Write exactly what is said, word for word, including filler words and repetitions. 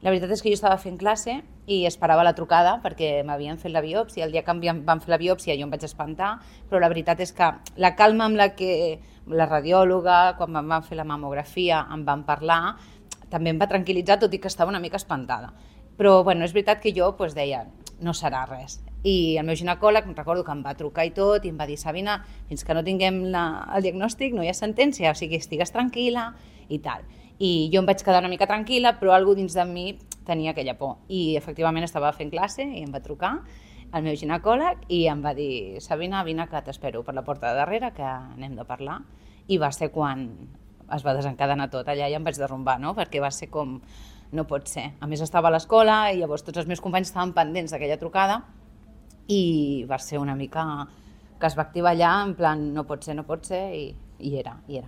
La veritat és que jo estava fent classe i esperava la trucada perquè m'havien fet la biòpsia. El dia que em van fer la biòpsia jo em vaig espantar, però la veritat és que la calma amb la que la radiòloga, quan em van fer la mamografia, em van parlar, també em va tranquil·litzar, tot i que estava una mica espantada. Però bueno, és veritat que jo pues, deia, no serà res. I el meu ginecòleg, em recordo que em va trucar i tot, i em va dir, Sabina, fins que no tinguem la, el diagnòstic no hi ha sentència, o sigui, estigues tranquil·la i tal. I jo em vaig quedar una mica tranquil·la, però algú dins de mi tenia aquella por. I efectivament estava fent classe i em va trucar el meu ginecòleg i em va dir, Sabina, vine que t'espero per la porta de darrere, que anem de parlar. I va ser quan es va desencadenar tot allà i em vaig derrumbar, no? Perquè va ser com, no pot ser. A més estava a l'escola i llavors tots els meus companys estaven pendents d'aquella trucada i va ser una mica que es va activar allà en plan no pot ser, no pot ser i, i era, i era.